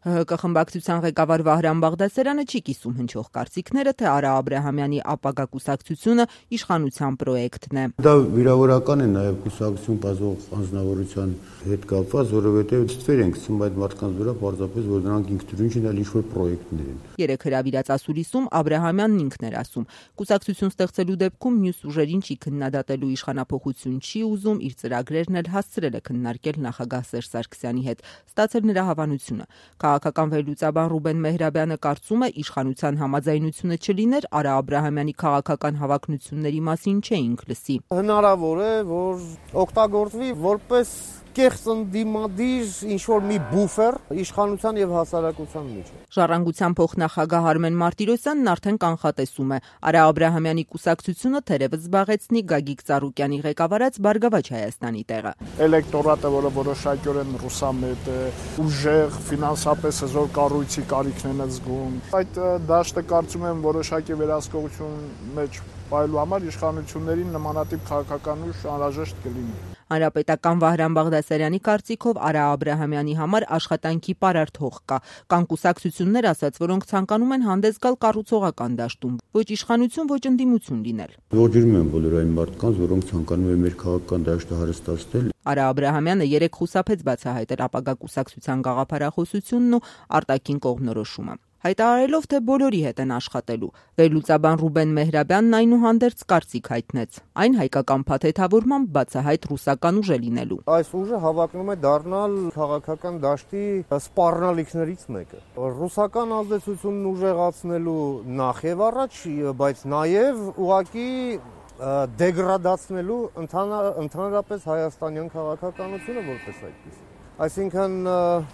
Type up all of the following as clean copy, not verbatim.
ՀՀԿ խմբակցության ղեկավար Վահրամ Բաղդասարյանը չի կիսում հնչող կարծիքները, թե Արա Աբրահամյանի ապագա կուսակցությունը իշխանության պրոյեկտն է։ Դա վիրավորական է նաև կուսակցություն բազող անձնավորության հետ կապված, որովհետև ստվեր ենք ցում այդ մարդկանց վրա պարզապես, որ նրանք ինքնուրույն չեն, այլ ինչ-որ պրոյեկտներ են։ Երեք հրավիրած ասուլիսում Աբրահամյանն ինքն էր ասում, կուսակցություն ստեղծելու դեպքում մյուս ուժերին չի քննադատելու, իշխանափոխություն չի ուզում, իր ծրագրերն էլ հասցրել է քննարկել նախագահ Սերժ Սարգսյանի հետ, ստացել նրա հավանությունը։ Քաղաքական վերլուծաբան Ռուբեն Մեհրաբյանը կարծում է, իշխանության համաձայնությունը չլիներ, Արա Աբրահամյանի քաղաքական հավակնությունների մասին չէինք լսի։ Հնարավոր է, որ օգտագործվի որպես կեղծ ընդդիմադիր ինչ-որ մի բուֆեր իշխանության եւ հասարակության միջեւ։ Ժառանգության փոխնախագահ Արմեն Մարտիրոսյանն արդեն կանխատեսում է, Արա Աբրահամյանի կուսակցությունը թերևս զբաղեցնի Գագիկ Ծառուկյանի ղեկավարած Բարգավաճ Հայաստանի տեղը։ Էլեկտորատը, որը որոշակիորեն ռուսամետ է, ուժեղ, ֆինանսապես հզոր կառույցի կարիքն են զգում։ Այդ դաշտը կարծում եմ որոշակի վերահսկողություն մեջ պահելու համար իշխանություններին նմանատիպ քաղաքական ուժ անհրաժեշտ կլինի։ Հանրապետական Վահրամ Բաղդասարյանի կարծիքով Արա Աբրահամյանի համար աշխատանքի պարարտ հող կա։ Կան կուսակցություններ ասած, որոնք ցանկանում են հանդես գալ կառուցողական դաշտում, ոչ իշխանություն, ոչ ընդդիմություն լինել։ Ողջունում եմ բոլոր այն մարդկանց, որոնք ցանկանում են մեր քաղաքական դաշտը հարստացնել։ Արա Աբրահամյանը երեք խուսափեց բացահայտել ապագա կուսակցության գաղափարախոսությունն ու արտաքին կողմնորոշումը, հայտարարելով, թե բոլորի հետ են աշխատելու։ Վերլուծաբան Ռուբեն Մեհրաբյանն այնուհանդերձ կարծիք հայտնեց, այն հայկական փաթեթավորմամբ բացահայտ ռուսական ուժ է լինելու։ Այս ուժը հավակնում է դառնալ քաղաքական դաշտի սպառնալիքներից մեկը։ Ռուսական ազդեցությունն ուժեղացնելու նախ եւ առաջ, բայց նաեւ ուղղակի դեգրադացնելու ընդհանրապես հայաստանյան քաղաքականությունը որպես այդպես։ Այսինքն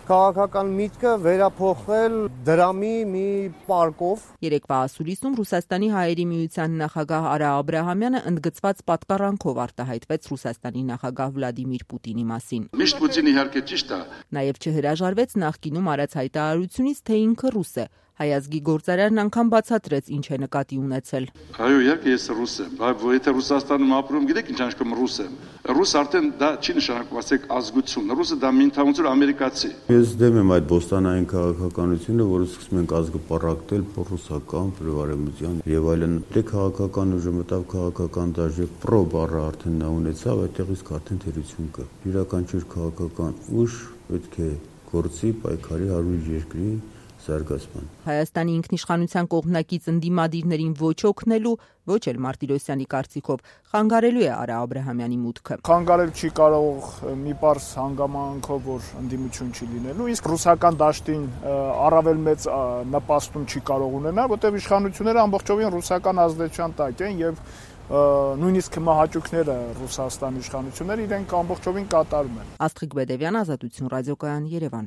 քաղաքական միտքը վերափոխվել դրամի մի պարկով։ Երեկվա ասուլիսում Ռուսաստանի հայերի միության նախագահ Արա Աբրահամյանը ընդգծված պատկառանքով արտահայտվեց Ռուսաստանի նախագահ Վլադիմիր Պուտինի մասին։ Միշտ Պուտինը իհարկե ճիշտ է։ Նաև չհրաժարվեց նախկինում արած հայտարարությունից, թե ինքը ռուս է։ Հայազգի գործարարն անգամ բացատրեց, ինչ է նկատի ունեցել։ Այո, իհարկե ես ռուս եմ, բայց եթե Ռուսաստանում ապրում, գիտեք ինչ անշկում ռուս եմ։ Ռուս արդեն դա չի նշանակում, ասեք ազգություն։ Ռուսը դա մի ընդհանուր ամերիկացի։ Ես դեմ եմ այդ բոստանային քաղաքականությունը, որը սկսում ենք ազգը պառակտել ռուսական, պրեվարեմության եւ այլն։ Դե քաղաքական ուժը մտավ քաղաքական դաշտ, պրո բառը արդեն նա ունեցավ, այդտեղից արդեն թերություն կա։ Յուրաքանչյուր քաղաքական ուժ պետք է գործի պայքարի հարույր երկրի զարգացման։ Հայաստանի ինքնիշխանության կողմնակից ընդդիմադիրներին ոչ օգնելու, ոչ էլ Մարտիրոսյանի կարծիքով խանգարելու է Արա Աբրահամյանի մուտքը։ Խանգարել չի կարող մի պարզ հանգամանքով, որ ընդդիմություն չի լինելու, իսկ ռուսական դաշտին առավել մեծ նպաստում չի կարող ունենալ, որտեղ իշխանությունները ամբողջովին ռուսական ազդեցության տակ են եւ նույնիսկ մահաճուկները Ռուսաստանի իշխանությունները իրենք ամբողջովին կատարում են։ Աստղիկ Բեդևյան, Ազատություն ռադիոկայան, Երևան։